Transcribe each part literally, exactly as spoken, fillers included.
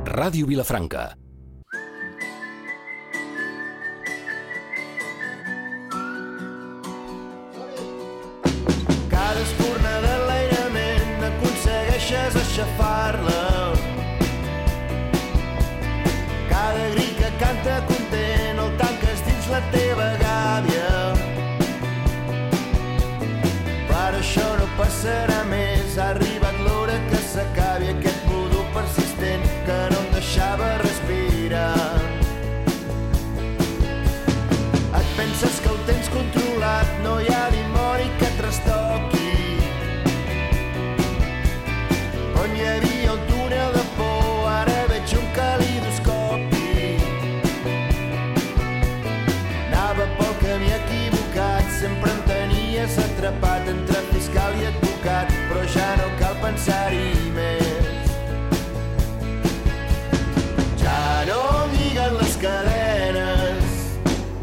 Ràdio Vilafranca. Cada espurna de l'aïrament aconsegueixes aixafar-la. Cada gri que canta content el tanques dins la teva gàbia. Per això no passarà més, ha arribat l'hora que s'acabi aquest vudú persistent que no em deixava respirar. Et penses que ho tens controlat, no hi ha dimoni que et trastoqui. On hi havia un túnel de por, ara veig un calidoscopi. Anava pel camí equivocat, sempre em tenies atrapat entre fiscal i advocat, però ja no cal pensar-hi més. Ja no em lliguen les cadenes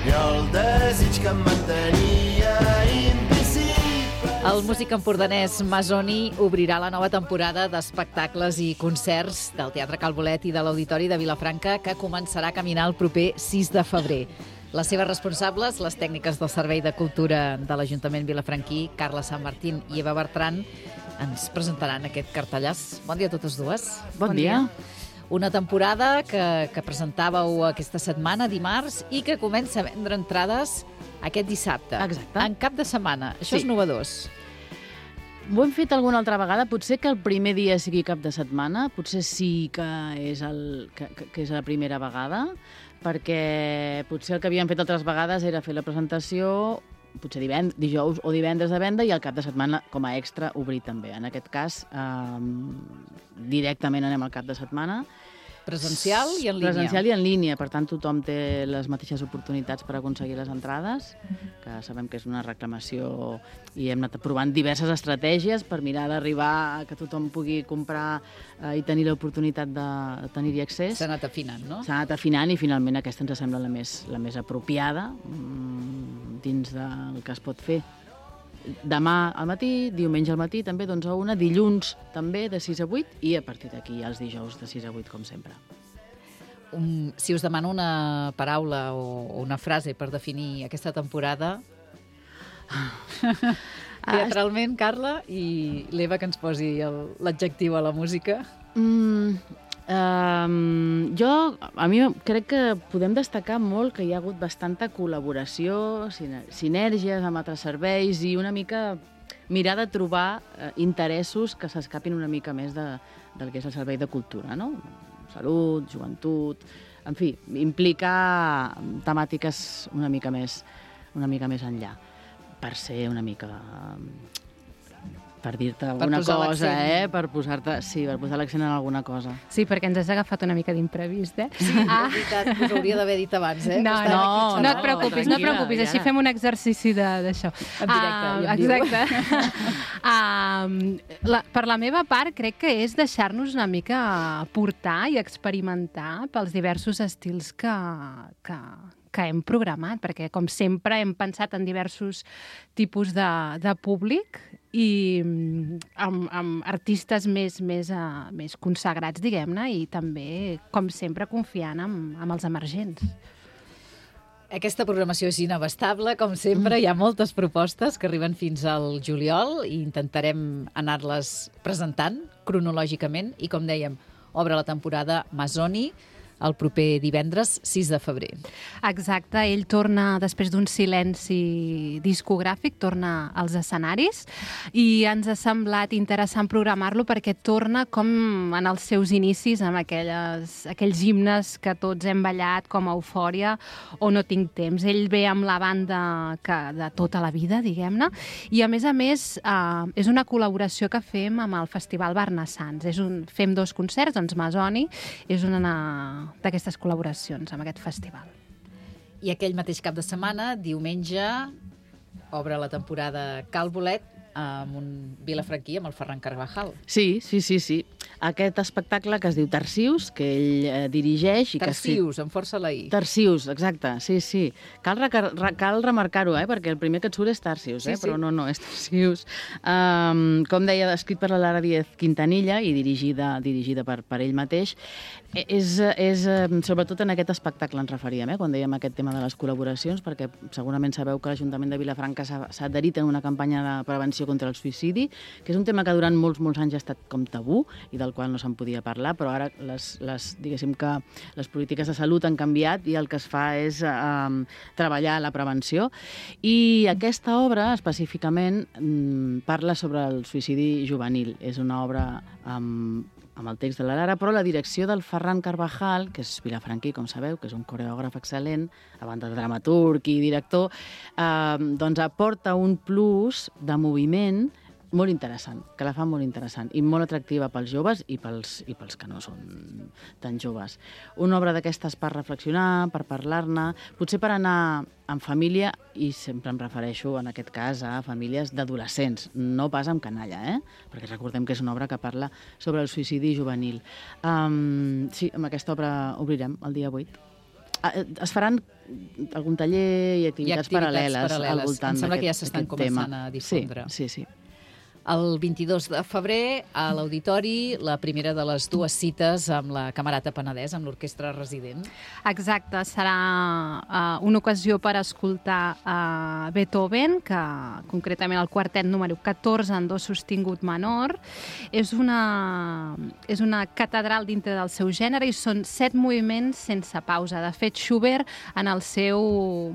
i el desig que em mantenia invisible. El músic empordanès Masoni obrirà la nova temporada d'espectacles i concerts del Teatre Cal Bolet i de l'Auditori de Vilafranca, que començarà a caminar el proper sis de febrer. Les seves responsables, les tècniques del Servei de Cultura de l'Ajuntament vilafranquí, Carla Sant Martín i Eva Bertran, ens presentaran aquest cartellàs. Bon dia a totes dues. Bon, bon dia. dia. Una temporada que, que presentàveu aquesta setmana, dimarts, i que comença a vendre entrades aquest dissabte. Exacte. En cap de setmana. Això Sí. és novedós. Ho hem fet alguna altra vegada. Potser que el primer dia sigui cap de setmana, potser sí que és, el, que, que, que és la primera vegada, perquè potser el que havíem fet altres vegades era fer la presentació potser divend, dijous o divendres de venda i al cap de setmana, com a extra, obrir també. En aquest cas, eh, directament anem al cap de setmana. Presencial i en línia. Presencial i en línia, per tant tothom té les mateixes oportunitats per aconseguir les entrades, que sabem que és una reclamació i hem anat provant diverses estratègies per mirar d'arribar a que tothom pugui comprar eh, i tenir l'oportunitat de, de tenir-hi accés. S'ha anat afinant, no? S'ha anat afinant i finalment aquesta ens sembla la més, la més apropiada mmm, dins del que es pot fer. Demà al matí, diumenge al matí també d'onze a una, dilluns també de sis a vuit i a partir d'aquí els dijous de sis a vuit com sempre. Um, si us demano una paraula o, o una frase per definir aquesta temporada, teatralment, Carla, i l'Eva que ens posi el- l'adjectiu a la música. Mm, um, jo, a mi crec que podem destacar molt que hi ha hagut bastanta col·laboració, sine- sinèrgies amb altres serveis i una mica mirar de trobar eh, interessos que s'escapin una mica més de, del que és el servei de cultura, no? Salut, joventut, en fi, implicar temàtiques una mica més, una mica més enllà, per ser una mica... per dir-te alguna posar cosa, l'accent. eh? Per posar-te, sí, per posar l'accent en alguna cosa. Sí, perquè ens has agafat una mica d'imprevist, eh? Sí, ah. és veritat, us hauria d'haver dit abans, eh? No, Que no, estava aquí no, no, et preocupis, no et tranquil·la, preocupis, així ja. fem un exercici de- d'això. En directe, Ah, ja em diu. exacte. um, la, per la meva part, crec que és deixar-nos una mica portar i experimentar pels diversos estils que, que, que hem programat, perquè, com sempre, hem pensat en diversos tipus de, de públic i mm, amb, amb artistes més, més, uh, més consagrats, diguem-ne, i també, com sempre, confiant en, en els emergents. Aquesta programació és inabastable, com sempre. Hi ha moltes propostes que arriben fins al juliol i intentarem anar-les presentant cronològicament. I, com dèiem, obre la temporada Masoni el proper divendres sis de febrer. Exacte, ell torna, després d'un silenci discogràfic, torna als escenaris i ens ha semblat interessant programar-lo perquè torna com en els seus inicis, amb aquelles, aquells himnes que tots hem ballat com a Eufòria o No tinc temps. Ell ve amb la banda que, de tota la vida, diguem-ne, i a més a més eh, és una col·laboració que fem amb el Festival Barnassans. És un, fem dos concerts, doncs Masoni és una d'aquestes col·laboracions amb aquest festival. I aquell mateix cap de setmana, diumenge, obre la temporada Cal Bolet amb un vilafranquí, amb el Ferran Carvajal. Sí, sí, sí, sí. aquest espectacle que es diu Tarsius, que ell eh, dirigeix. I Tarsius, que... amb força la I. Tarsius, exacte, sí, sí. Cal, re cal remarcar-ho, eh, perquè el primer que et surt és Tarsius, eh, sí, sí. Però no, no, és Tarsius. Um, com deia, escrit per la Lara Díez Quintanilla i dirigida, dirigida per, per ell mateix. És, és, sobretot en aquest espectacle ens referíem, eh, quan dèiem aquest tema de les col·laboracions, perquè segurament sabeu que l'Ajuntament de Vilafranca s'ha adherit en una campanya de prevenció contra el suïcidi, que és un tema que durant molts, molts anys ha estat com tabú i del qual no se'n podia parlar, però ara les, les, diguéssim que les polítiques de salut han canviat i el que es fa és eh, treballar la prevenció. I aquesta obra, específicament, parla sobre el suïcidi juvenil. És una obra amb amb el text de la Lara, però la direcció del Ferran Carvajal, que és vilafranquí, com sabeu, que és un coreògraf excel·lent, a banda de dramaturg i director, eh, doncs aporta un plus de moviment molt interessant, que la fa molt interessant i molt atractiva pels joves i pels, i pels que no són tan joves. Una obra d'aquestes per reflexionar, per parlar-ne, potser per anar en família, i sempre em refereixo en aquest cas a famílies d'adolescents, no pas amb canalla, eh? Perquè recordem que és una obra que parla sobre el suïcidi juvenil. Um, sí, amb aquesta obra obrirem el dia vuit. Es faran algun taller i activitats, activitats paral·leles, paral·leles al voltant d'aquest tema. Em sembla que ja s'estan començant a difondre. Sí, sí, sí. El vint-i-dos de febrer, a l'Auditori, la primera de les dues cites amb la Camerata Penedès, amb l'orquestra resident. Exacte, serà uh, una ocasió per escoltar uh, Beethoven, que concretament el quartet número catorze en do sostingut menor. És una, és una catedral dintre del seu gènere i són set moviments sense pausa. De fet, Schubert en el seu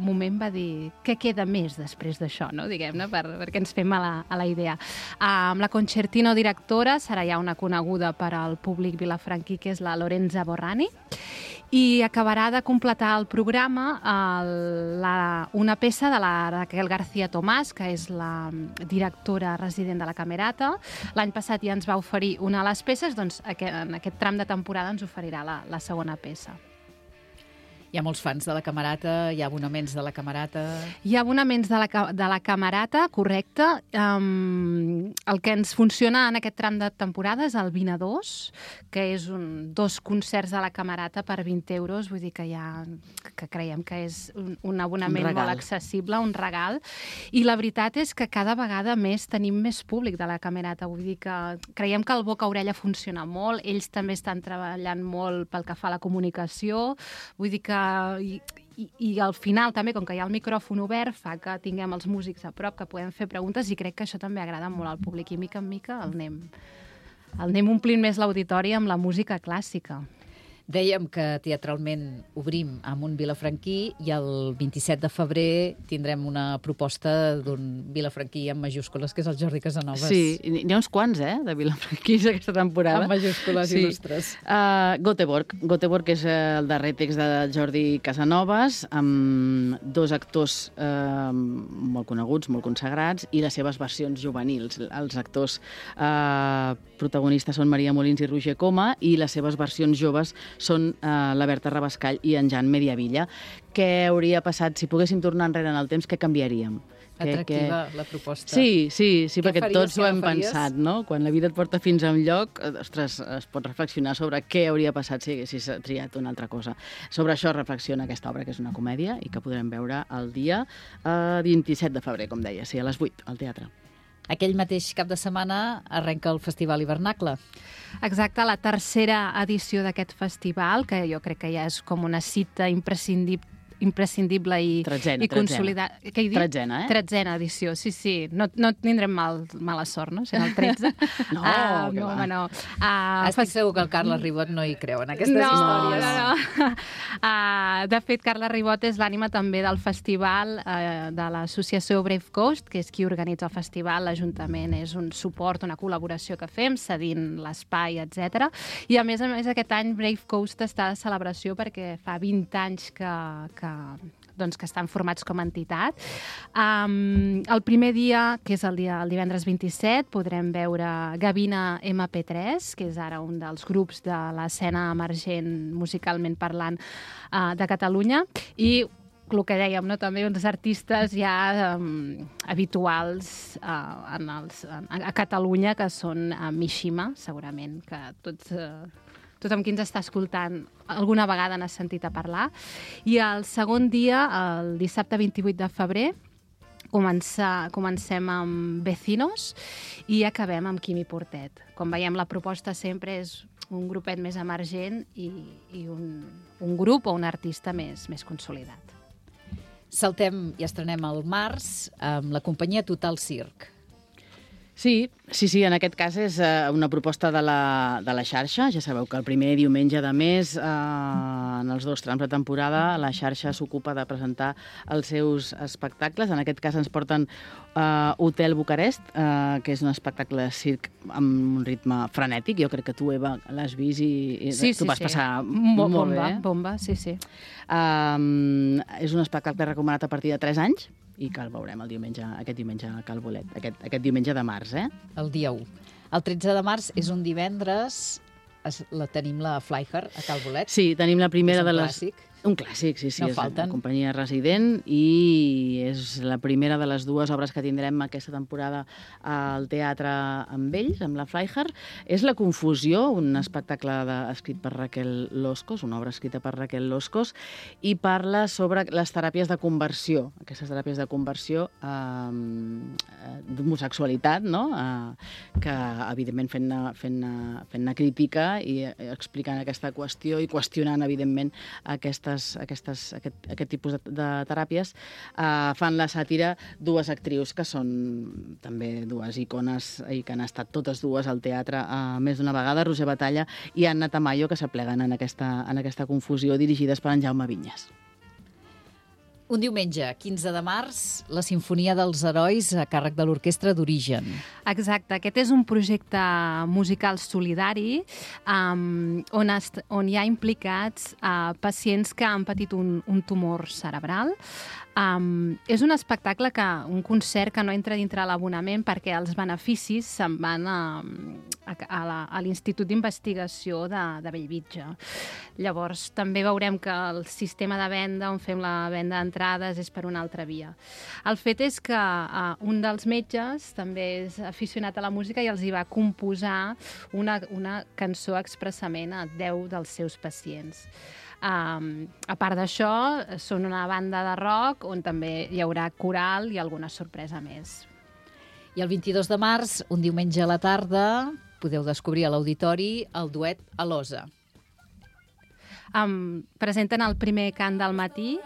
moment va dir què queda més després d'això, no? Diguem-ne, per, perquè ens fem a la, a la idea. Amb la concertino directora serà ja una coneguda per al públic vilafranquí, que és la Lorenza Borrani, i acabarà de completar el programa el, la, una peça de la Raquel García Tomàs, que és la directora resident de la Camerata. L'any passat ja ens va oferir una de les peces, doncs en aquest tram de temporada ens oferirà la, la segona peça. Hi ha molts fans de la Camerata, hi ha abonaments de la Camerata... Hi ha abonaments de la, de la Camerata, correcte. Um, el que ens funciona en aquest tram de temporada és el vint a dos, que és un, dos concerts de la Camerata per vint euros, vull dir que, ja, que creiem que és un, un abonament un molt accessible, un regal. I la veritat és que cada vegada més tenim més públic de la Camerata, vull dir que creiem que el boca-orella funciona molt, ells també estan treballant molt pel que fa a la comunicació, vull dir que I, i, i al final també, com que hi ha el micròfon obert, fa que tinguem els músics a prop, que podem fer preguntes, i crec que això també agrada molt al públic, i mica en mica el anem, el anem omplint més l'auditori amb la música clàssica. Dèiem que teatralment obrim amb un vilafranquí i el vint-i-set de febrer tindrem una proposta d'un vilafranquí amb majúscules, que és el Jordi Casanovas. Sí, n'hi ha uns quants, eh, de vilafranquís aquesta temporada. Amb majúscules sí. Il·lustres. Uh, Göteborg. Göteborg és el darrer text de Jordi Casanovas, amb dos actors uh, molt coneguts, molt consagrats, i les seves versions juvenils. Els actors uh, protagonistes són Maria Molins i Roger Coma, i les seves versions joves són eh, la Berta Rabascall i en Jan Mediavilla. Què hauria passat si poguéssim tornar enrere en el temps? Què canviaríem? Atractiva que... la proposta. Sí, sí, sí, perquè faries, tots ho hem pensat, no? Quan la vida et porta fins a un lloc, ostres, es pot reflexionar sobre què hauria passat si haguessis triat una altra cosa. Sobre això reflexiona aquesta obra, que és una comèdia i que podrem veure el dia eh, vint-i-set de febrer, com deia, sí, a les vuit, al teatre. Aquell mateix cap de setmana arrenca el Festival Hivernacle. Exacte, la tercera edició d'aquest festival, que jo crec que ja és com una cita imprescindible imprescindible i, tretzena, i consolidada. Què he dit? Tretzena, eh? Tretzena edició, sí, sí. No, no tindrem mal, mala sort, no? Sent el tretze. no, uh, que no, va. no. Uh, Estic segur que el Carles Ribot no hi creu en aquestes no, històries. No, no, uh, De fet, Carles Ribot és l'ànima també del festival uh, de l'associació Brave Coast, que és qui organitza el festival. L'Ajuntament és un suport, una col·laboració que fem, cedint l'espai, etcètera. I a més a més, aquest any Brave Coast està de celebració perquè fa vint anys que, que doncs, que estan formats com a entitat. Um, el primer dia, que és el, dia, el divendres vint-i-set, podrem veure Gavina ema pe tres, que és ara un dels grups de l'escena emergent musicalment parlant uh, de Catalunya, i el que dèiem, no? També uns artistes ja um, habituals uh, en els, a Catalunya, que són uh, Mishima, segurament, que tots... Uh, tothom qui ens està escoltant alguna vegada n'ha sentit a parlar. I el segon dia, el dissabte vint-i-vuit de febrer, comença, comencem amb Vecinos i acabem amb Quimi Portet. Com veiem, la proposta sempre és un grupet més emergent i, i un, un grup o un artista més, més consolidat. Saltem i estrenem al març amb la companyia Total Circ. Sí, sí, sí, en aquest cas és uh, una proposta de la, de la xarxa. Ja sabeu que el primer diumenge de mes, uh, en els dos trams de temporada, la xarxa s'ocupa de presentar els seus espectacles. En aquest cas ens porten uh, Hotel Bucarest, uh, que és un espectacle de circ amb un ritme frenètic. Jo crec que tu, Eva, l'has vist i, i sí, tu sí, vas sí. passar Mo molt bomba, bé. Bomba, sí, sí. Um, és un espectacle recomanat a partir de tres anys i que el veurem el diumenge, aquest diumenge a Cal Bolet, aquest, aquest diumenge de març, eh? El dia u. El tretze de març és un divendres, es, la tenim la Flyher a Cal Bolet. Sí, tenim la primera és un de les... clàssic. Un clàssic, sí, sí. No és falten. una companyia resident i és la primera de les dues obres que tindrem aquesta temporada al teatre amb ells, amb la Flyher. És La confusió, un espectacle de, escrit per Raquel Loscos, una obra escrita per Raquel Loscos, i parla sobre les teràpies de conversió, aquestes teràpies de conversió eh, d'homosexualitat, no? Eh, que, evidentment, fent-ne fent fent crítica i explicant aquesta qüestió i qüestionant, evidentment, aquesta Aquestes, aquest, aquest tipus de, de teràpies, eh, fan la sàtira dues actrius que són també dues icones i que han estat totes dues al teatre eh, més d'una vegada, Roser Batalla i Anna Tamayo, que s'apleguen en aquesta, en aquesta confusió, dirigides per en Jaume Vinyes. Un diumenge, quinze de març, la Sinfonia dels Herois a càrrec de l'Orquestra d'Origen. Exacte, aquest és un projecte musical solidari um, on, est, on hi ha implicats uh, pacients que han patit un, un tumor cerebral. Um, és un espectacle, que un concert que no entra dintre l'abonament perquè els beneficis se'n van a, a, a l'Institut d'Investigació de, de Bellvitge. Llavors, també veurem que el sistema de venda, on fem la venda d'entrades, és per una altra via. El fet és que uh, un dels metges també és aficionat a la música i els hi va composar una, una cançó expressament a deu dels seus pacients. Um, a part d'això, són una banda de rock on també hi haurà coral i alguna sorpresa més. I el vint-i-dos de març, un diumenge a la tarda, podeu descobrir a l'auditori el duet Alosa. Um, presenten el primer cant del matí,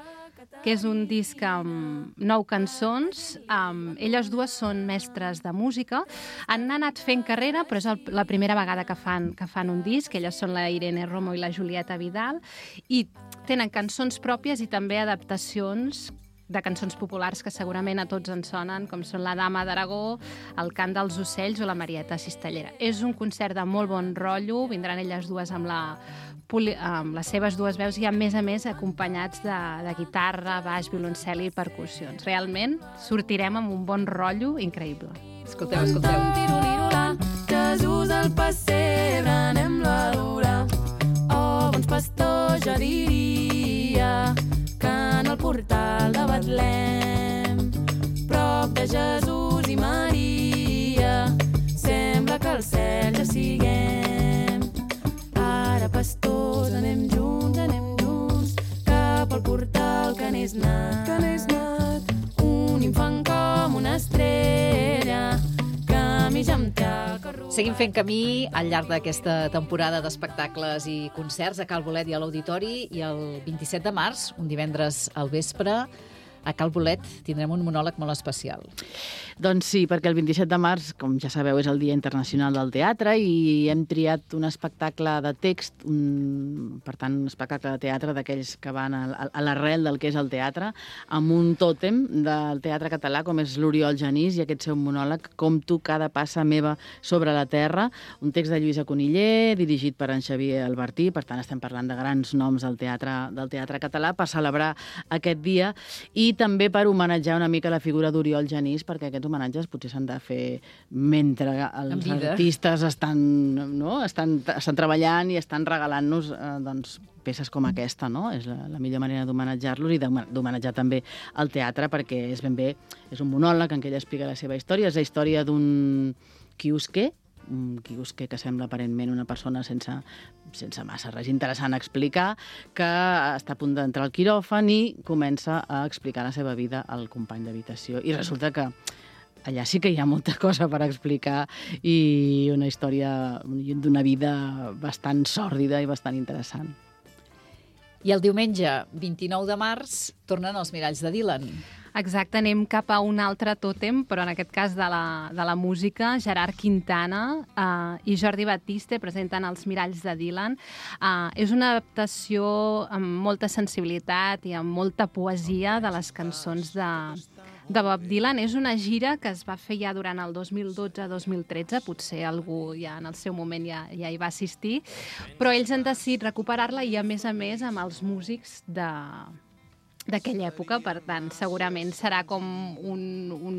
que és un disc amb nou cançons. Um, elles dues són mestres de música. Han anat fent carrera, però és el, la primera vegada que fan, que fan un disc. Elles són la Irene Romo i la Julieta Vidal. I tenen cançons pròpies i també adaptacions de cançons populars que segurament a tots ens sonen, com són La Dama d'Aragó, El cant dels ocells o la Marieta Cistellera. És un concert de molt bon rotllo, vindran elles dues amb, la, amb les seves dues veus i, a més a més, acompanyats de, de guitarra, baix, violoncel i percussions. Realment sortirem amb un bon rotllo increïble. Escolteu, escolteu. Jesús al pessebre, anem-lo a adorar. Oh, bons pastors, jo diria que en el portal de Betlem, prop de Jesús i Maria, sembla que al cel ja siguem. Ara, pastors, anem junts, anem junts, cap al portal que n'és nat, que n'és nat. Un infant com una estrella, camija amb tac. Seguim fent camí al llarg d'aquesta temporada d'espectacles i concerts a Cal Bolet i a l'Auditori, i el vint-i-set de març, un divendres al vespre, a Cal Bolet tindrem un monòleg molt especial. Doncs sí, perquè el vint-i-set de març, com ja sabeu, és el Dia Internacional del Teatre i hem triat un espectacle de text, un, per tant, un espectacle de teatre d'aquells que van a, a l'arrel del que és el teatre, amb un tòtem del teatre català, com és l'Oriol Genís, i aquest seu monòleg, Com tu cada passa meva sobre la terra, un text de Lluïsa Coniller, dirigit per en Xavier Albertí. Per tant, estem parlant de grans noms del teatre, del teatre català per celebrar aquest dia, i i també per homenatjar una mica la figura d'Oriol Genís, perquè aquests homenatges potser s'han de fer mentre els artistes estan, no? estan, estan treballant i estan regalant-nos eh, doncs, peces com aquesta, no? És la, la millor manera d'homenatjar-los i d'homenatjar també el teatre, perquè és ben bé, és un monòleg en què ell explica la seva història, és la història d'un quiosquer, un quiosquer que sembla aparentment una persona sense, sense massa res interessant a explicar, que està a punt d'entrar al quiròfan i comença a explicar la seva vida al company d'habitació. I resulta que allà sí que hi ha molta cosa per explicar i una història d'una vida bastant sòrdida i bastant interessant. I el diumenge vint-i-nou de març tornen els Miralls de Dylan. Exacte, anem cap a un altre tòtem, però en aquest cas de la, de la música. Gerard Quintana eh, i Jordi Batiste presenten Els Miralls de Dylan. Eh, és una adaptació amb molta sensibilitat i amb molta poesia de les cançons de, de Bob Dylan. És una gira que es va fer ja durant el dos mil dotze dos mil tretze, potser algú ja en el seu moment ja, ja hi va assistir, però ells han decidit recuperar-la i a més a més amb els músics de... d'aquella època, per tant, segurament serà com un, un,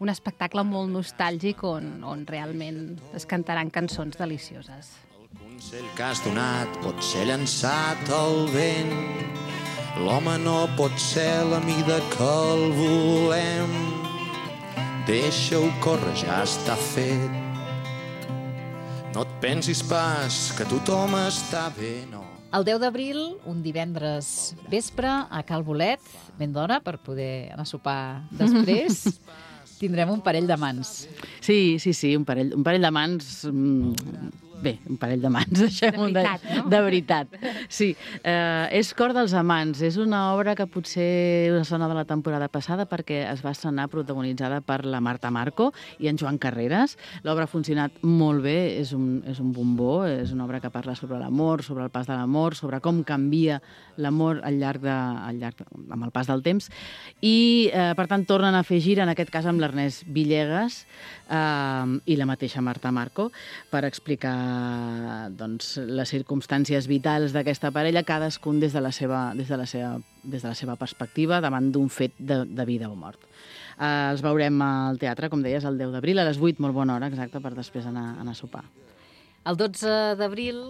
un espectacle molt nostàlgic on, on realment es cantaran cançons delicioses. El consell que has donat pot ser llançat al vent. L'home no pot ser la mida que el volem. Deixa-ho córrer, ja està fet. No et pensis pas que tothom està bé, no. El deu d'abril, un divendres vespre, a Cal Bolet, ben d'hora per poder anar a sopar després, tindrem un parell de mans. Sí, sí, sí, un parell, un parell de mans... Mmm, bé, un parell de mans, deixem-ho de, veritat, no? de veritat. Sí, eh, és Cor dels amants. És una obra que potser us sona de la temporada passada perquè es va estrenar protagonitzada per la Marta Marco i en Joan Carreras. L'obra ha funcionat molt bé, és un, és un bombó, és una obra que parla sobre l'amor, sobre el pas de l'amor, sobre com canvia l'amor al llarg de, al llarg de, amb el pas del temps. I, eh, per tant, tornen a fer gira, en aquest cas amb l'Ernest Villegas eh, i la mateixa Marta Marco, per explicar doncs, les circumstàncies vitals d'aquesta parella, cadascun des de la seva, des de la seva, des de la seva perspectiva davant d'un fet de, de vida o mort. Eh, els veurem al teatre, com deies, el deu d'abril, a les vuit, molt bona hora, exacte, per després anar, anar a sopar. El dotze d'abril,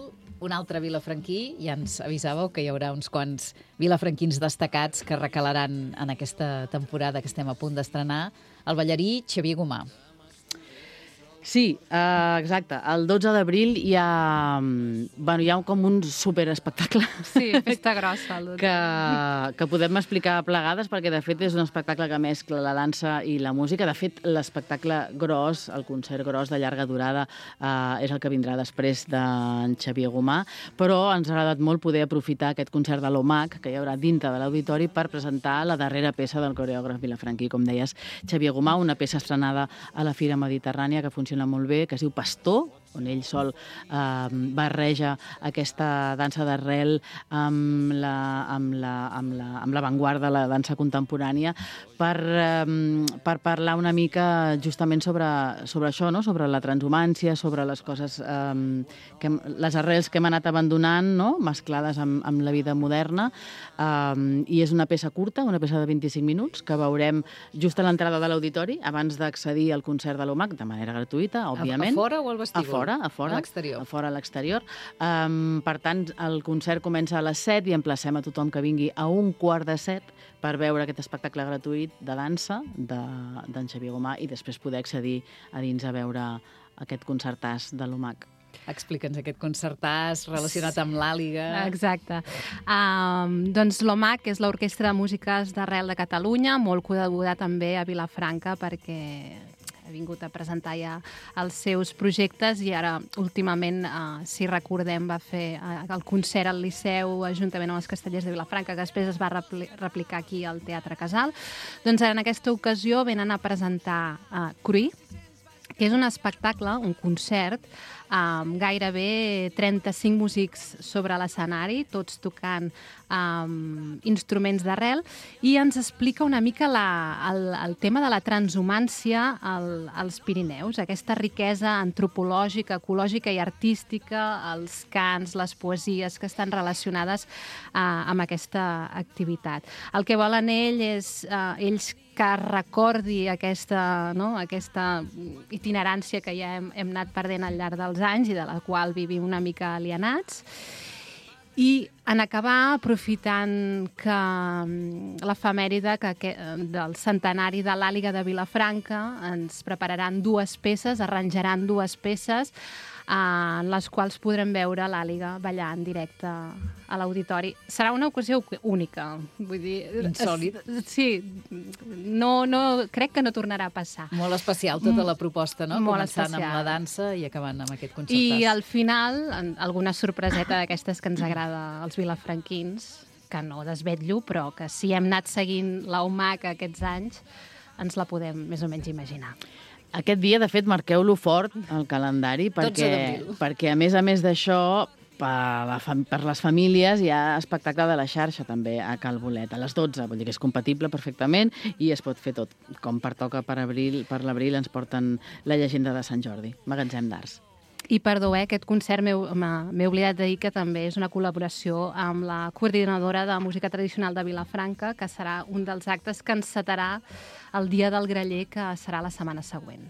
un altre vilafranquí, ja ens avisàveu que hi haurà uns quants vilafranquins destacats que recalaran en aquesta temporada que estem a punt d'estrenar, el ballarí Xavier Gomà. Sí, uh, exacte. El dotze d'abril hi ha, bueno, hi ha com un superespectacle. Sí, festa grossa. que, que podem explicar plegades, perquè de fet és un espectacle que mescla la dansa i la música. De fet, l'espectacle gros, el concert gros de llarga durada, uh, és el que vindrà després d'en Xavier Gomà, però ens ha agradat molt poder aprofitar aquest concert de l'O M A C que hi haurà dintre de l'auditori per presentar la darrera peça del coreògraf vilafranquí, com deies, Xavier Gomà, una peça estrenada a la Fira Mediterrània que funciona molt bé, que es diu Pastor, on ell sol eh, barreja aquesta dansa d'arrel amb la, amb la, amb la, amb l'avantguarda, la dansa contemporània, per, eh, per parlar una mica justament sobre, sobre això, no? Sobre la transhumància, sobre les coses, eh, que, les arrels que hem anat abandonant, no? Mesclades amb, amb la vida moderna, eh, i és una peça curta, una peça de vint-i-cinc minuts, que veurem just a l'entrada de l'auditori, abans d'accedir al concert de l'O M A C, de manera gratuïta, òbviament. A fora o al vestíbul? A fora, a fora. A l'exterior. A fora, a l'exterior. Um, per tant, el concert comença a les set i emplacem a tothom que vingui a un quart de set per veure aquest espectacle gratuït de dansa d'en de, Xavier Gomà i després poder accedir a dins a veure aquest concertàs de l'O M A C. Explica'ns aquest concertàs relacionat amb l'Àliga. Exacte. Um, doncs l'O M A C és l'Orquestra de Músiques d'Arrel de Catalunya, molt coneguda també a Vilafranca perquè ha vingut a presentar ja els seus projectes i ara últimament, uh, si recordem, va fer uh, el concert al Liceu juntament amb els Castellers de Vilafranca, que després es va repli replicar aquí al Teatre Casal. Doncs en aquesta ocasió venen a presentar uh, Cruí, que és un espectacle, un concert, amb gairebé trenta-cinc músics sobre l'escenari, tots tocant um, instruments d'arrel, i ens explica una mica la, el, el tema de la transhumància al, als Pirineus, aquesta riquesa antropològica, ecològica i artística, els cants, les poesies que estan relacionades uh, amb aquesta activitat. El que volen ell és, uh, ells que recordi aquesta, no, aquesta itinerància que ja hem, hem anat perdent al llarg dels anys i de la qual vivim una mica alienats. I en acabar, aprofitant que l'efemèride que, que, del centenari de l'Àliga de Vilafranca, ens prepararan dues peces, arranjaran dues peces en les quals podrem veure l'Àliga ballar en directe a l'auditori. Serà una ocasió única. Vull dir, insòlit. Sí, no, no, crec que no tornarà a passar. Molt especial tota la proposta, no? Molt Començant especial. amb la dansa i acabant amb aquest concertàs. I al final, alguna sorpreseta d'aquestes que ens agrada als vilafranquins, que no desvetllo, però que si hem anat seguint la U M A C aquests anys, ens la podem més o menys imaginar. Aquest dia, de fet, marqueu-lo fort al calendari, perquè, perquè a més a més d'això, per, la, per les famílies hi ha espectacle de la xarxa també a Cal Bolet, a les dotze, vull dir que és compatible perfectament i es pot fer tot. Com pertoca per abril, per l'abril ens porten la llegenda de Sant Jordi, Magatzem d'Arts. I perdó, eh, aquest concert m'he oblidat de dir que també és una col·laboració amb la coordinadora de música tradicional de Vilafranca, que serà un dels actes que encetarà el Dia del Graller, que serà la setmana següent.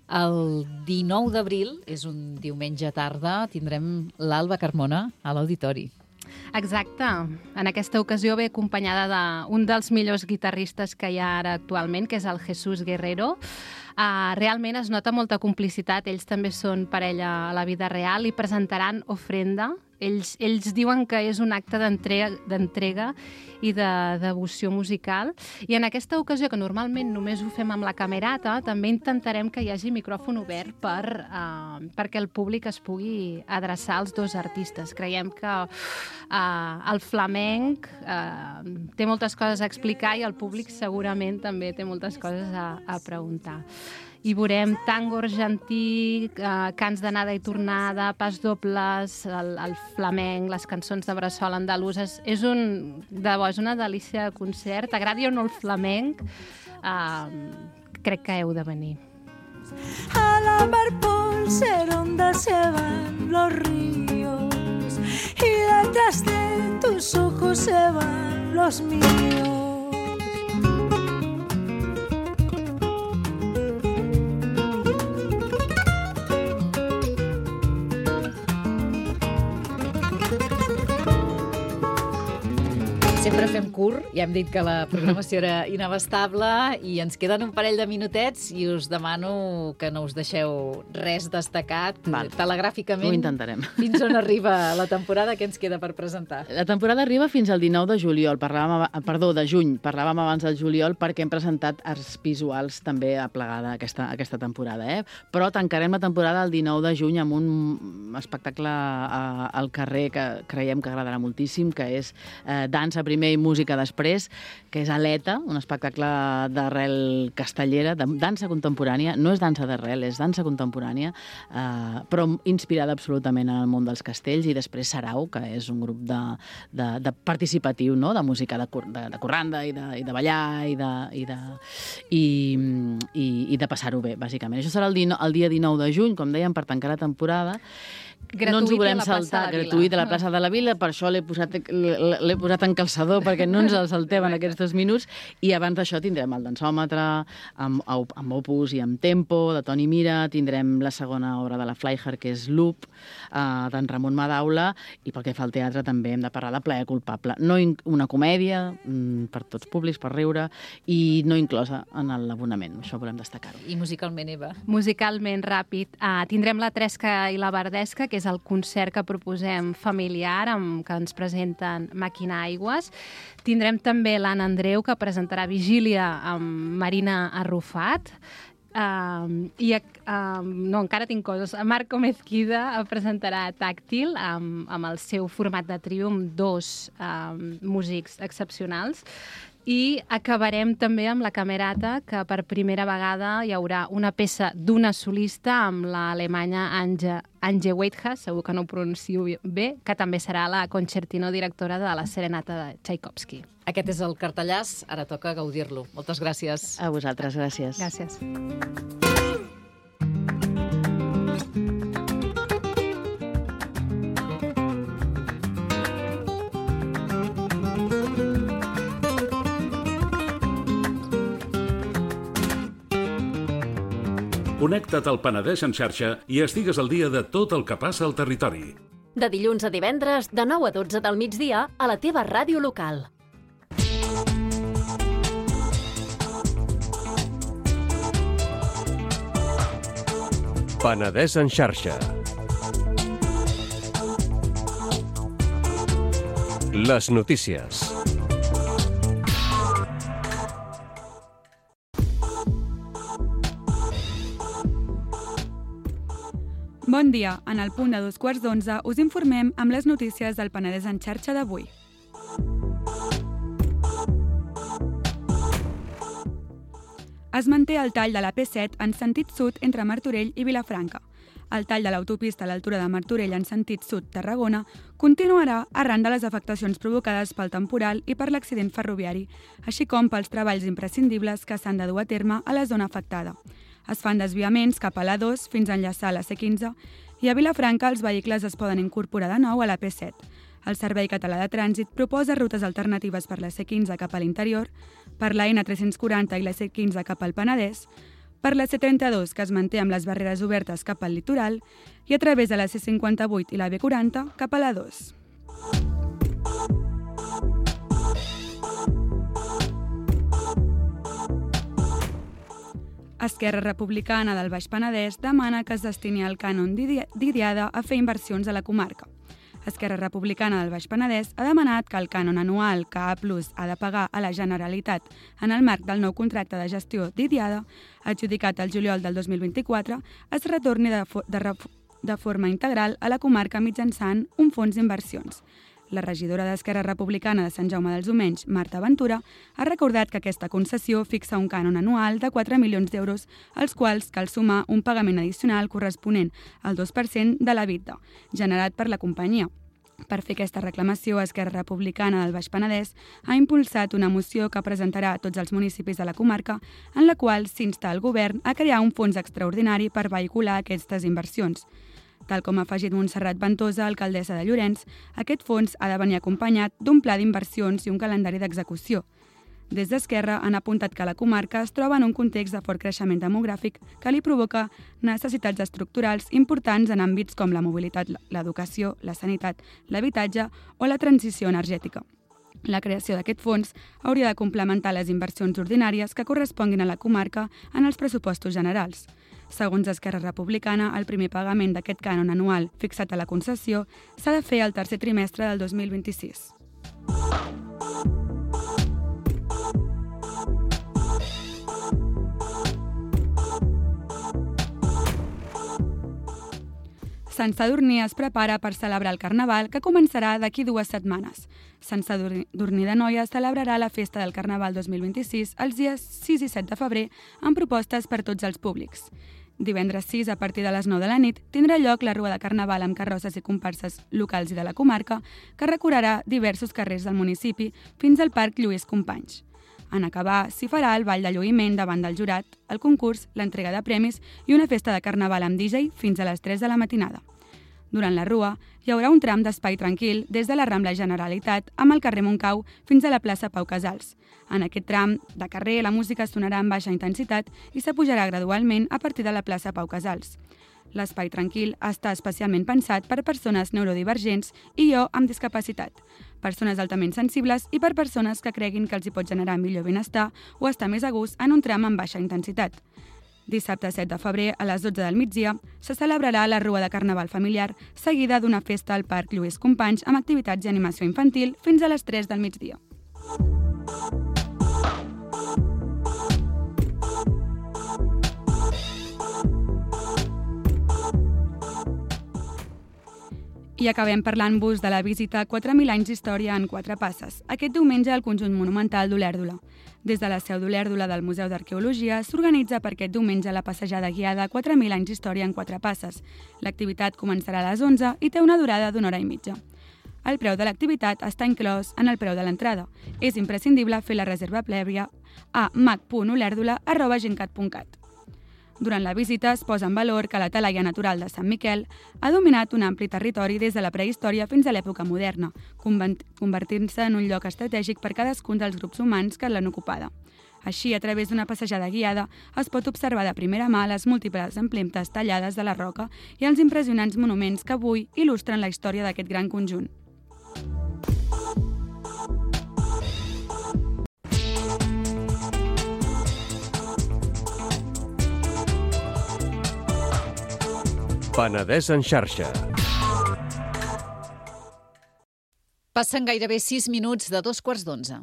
El dinou d'abril, és un diumenge tarda, tindrem l'Alba Carmona a l'Auditori. Exacte. En aquesta ocasió ve acompanyada d'un dels millors guitarristes que hi ha ara actualment, que és el Jesús Guerrero. Uh, realment es nota molta complicitat, ells també són parella a la vida real i presentaran Ofrenda. Ells, ells diuen que és un acte d'entrega i de devoció musical. I en aquesta ocasió, que normalment només ho fem amb la camerata, també intentarem que hi hagi micròfon obert per, uh, perquè el públic es pugui adreçar als dos artistes. Creiem que uh, el flamenc uh, té moltes coses a explicar i el públic segurament també té moltes coses a, a preguntar. I veurem tango argentí, eh, cants d'anada i tornada, pas dobles, el, el flamenc, les cançons de bressol andaluses. És un, de bo, és una delícia de concert. T'agradi o no el flamenc, eh, crec que heu de venir. A la mar por ser onda se van los ríos y detrás de tus ojos se van los míos. Sempre fem curt, ja hem dit que la programació era inabastable i ens queden un parell de minutets i us demano que no us deixeu res destacat. Val. Telegràficament. Ho intentarem. Fins on arriba la temporada, què ens queda per presentar? La temporada arriba fins al dinou de juliol, parlàvem, perdó, de juny, parlàvem abans del juliol perquè hem presentat arts visuals també aplegada aquesta, aquesta temporada, eh? Però tancarem la temporada el dinou de juny amb un espectacle a, al carrer que creiem que agradarà moltíssim, que és eh, dansa primer i música després, que és Aleta, un espectacle d'arrel castellera, de dansa contemporània. No és dansa d'arrel, és dansa contemporània, eh, però inspirada absolutament en el món dels castells. I després Sarau, que és un grup de, de, de participatiu, no? De música de, de, de corranda i de, i de ballar i de, i de, i, i, i de passar-ho bé, bàsicament. Això serà el, dino, el dia dinou de juny, com dèiem, per tancar la temporada. Gratuït no ens ho volem a la plaça saltar, de la Vila. gratuït a la plaça de la Vila, per això l'he posat, l'he posat en calçador, perquè no ens el saltem en aquests dos minuts, i abans d'això tindrem el dansòmetre, amb, amb Opus i amb Tempo, de Toni Mira, tindrem la segona obra de la Fleischer, que és Loop, eh, d'en Ramon Madaula, i pel que fa al teatre també hem de parlar de Plaer culpable. No una comèdia, per tots públics, per riure, i no inclosa en l'abonament, això volem destacar-ho. I musicalment, Eva? Musicalment, ràpid. Uh, tindrem la Tresca i la Verdesca, que és el concert que proposem familiar, amb, que ens presenten Màquina Aigües. Tindrem també l'Anna Andreu, que presentarà Vigília amb Marina Arrufat. Uh, i uh, no, encara tinc coses. Marco Mezquida presentarà Tàctil amb, amb el seu format de trio, amb dos uh, músics excepcionals. I acabarem també amb la Camerata, que per primera vegada hi haurà una peça d'una solista amb l'alemanya Ange, Ange Weidhas, segur que no ho pronuncio bé, que també serà la concertino directora de la Serenata de Tchaikovsky. Aquest és el cartellàs, ara toca gaudir-lo. Moltes gràcies. A vosaltres, gràcies. Gràcies. Connecta't al Penedès en xarxa i estigues al dia de tot el que passa al territori. De dilluns a divendres, de nou a dotze del migdia, a la teva ràdio local. Penedès en xarxa. Les notícies. Bon dia. En el punt de dos quarts d'onze us informem amb les notícies del Penedès en xarxa d'avui. Es manté el tall de la P set en sentit sud entre Martorell i Vilafranca. El tall de l'autopista a l'altura de Martorell en sentit sud-Tarragona continuarà arran de les afectacions provocades pel temporal i per l'accident ferroviari, així com pels treballs imprescindibles que s'han de dur a terme a la zona afectada. Es fan desviaments cap a l'A dos fins a enllaçar la C quinze i a Vilafranca els vehicles es poden incorporar de nou a la P set. El Servei Català de Trànsit proposa rutes alternatives per la C quinze cap a l'interior, per la N tres-cents quaranta i la C quinze cap al Penedès, per la C trenta-dos que es manté amb les barreres obertes cap al litoral i a través de la C cinquanta-vuit i la B quaranta cap a l'A dos. Esquerra Republicana del Baix Penedès demana que es destini el cànon d'Idiada a fer inversions a la comarca. Esquerra Republicana del Baix Penedès ha demanat que el cànon anual que A Plus ha de pagar a la Generalitat en el marc del nou contracte de gestió d'Idiada, adjudicat el juliol del dos mil vint-i-quatre, es retorni de, de, de forma integral a la comarca mitjançant un fons d'inversions. La regidora d'Esquerra Republicana de Sant Jaume dels Domenys, Marta Ventura, ha recordat que aquesta concessió fixa un cànon anual de quatre milions d'euros, als quals cal sumar un pagament addicional corresponent al dos per cent de l'EBITDA, generat per la companyia. Per fer aquesta reclamació, Esquerra Republicana del Baix Penedès ha impulsat una moció que presentarà a tots els municipis de la comarca, en la qual s'insta el govern a crear un fons extraordinari per vehicular aquestes inversions. Tal com ha afegit Montserrat Ventosa, alcaldessa de Llorenç, aquest fons ha de venir acompanyat d'un pla d'inversions i un calendari d'execució. Des d'Esquerra han apuntat que la comarca es troba en un context de fort creixement demogràfic que li provoca necessitats estructurals importants en àmbits com la mobilitat, l'educació, la sanitat, l'habitatge o la transició energètica. La creació d'aquest fons hauria de complementar les inversions ordinàries que corresponguin a la comarca en els pressupostos generals. Segons Esquerra Republicana, el primer pagament d'aquest cànon anual fixat a la concessió s'ha de fer al tercer trimestre del dos mil vint-i-sis. Sant Sadurní es prepara per celebrar el Carnaval, que començarà d'aquí dues setmanes. Sant Sadurní d'Anoia celebrarà la festa del Carnaval dos mil vint-i-sis els dies sis i set de febrer amb propostes per tots els públics. Divendres sis, a partir de les nou de la nit, tindrà lloc la Rua de Carnaval amb carrosses i comparses locals i de la comarca, que recorrerà diversos carrers del municipi fins al Parc Lluís Companys. En acabar, s'hi farà el ball de lluïment davant del jurat, el concurs, l'entrega de premis i una festa de carnaval amb D J fins a les tres de la matinada. Durant la Rua, hi haurà un tram d'espai tranquil des de la Rambla Generalitat amb el carrer Montcau fins a la plaça Pau Casals. En aquest tram de carrer, la música sonarà amb baixa intensitat i s'apujarà gradualment a partir de la plaça Pau Casals. L'espai tranquil està especialment pensat per persones neurodivergents i o amb discapacitat, persones altament sensibles i per persones que creguin que els hi pot generar millor benestar o estar més a gust en un tram amb baixa intensitat. Dissabte set de febrer, a les dotze del migdia, se celebrarà la Rua de Carnaval familiar, seguida d'una festa al Parc Lluís Companys amb activitats i animació infantil fins a les tres del migdia. I acabem parlant-vos de la visita quatre mil anys d'història en quatre passes, aquest diumenge al conjunt monumental d'Olèrdola. Des de la seu d'Olèrdola del Museu d'Arqueologia s'organitza per aquest diumenge la passejada guiada quatre mil anys d'història en quatre passes. L'activitat començarà a les onze i té una durada d'una hora i mitja. El preu de l'activitat està inclòs en el preu de l'entrada. És imprescindible fer la reserva prèvia a mac punt olèrdola arroba gencat punt cat. Durant la visita es posa en valor que la talaia natural de Sant Miquel ha dominat un ampli territori des de la prehistòria fins a l'època moderna, convertint-se en un lloc estratègic per cadascun dels grups humans que l'han ocupada. Així, a través d'una passejada guiada, es pot observar de primera mà les múltiples empremtes tallades de la roca i els impressionants monuments que avui il·lustren la història d'aquest gran conjunt. Penedès en xarxa. Passen gairebé sis minuts de dos quarts d'onze.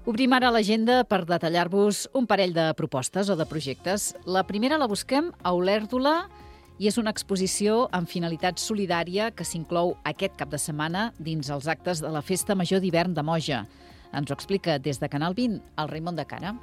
Obrim ara l'agenda per detallar-vos un parell de propostes o de projectes. La primera la busquem a Olèrdola i és una exposició amb finalitat solidària que s'inclou aquest cap de setmana dins els actes de la Festa Major d'Hivern de Moja. Ens ho explica des de Canal vint el Raimon de Cara.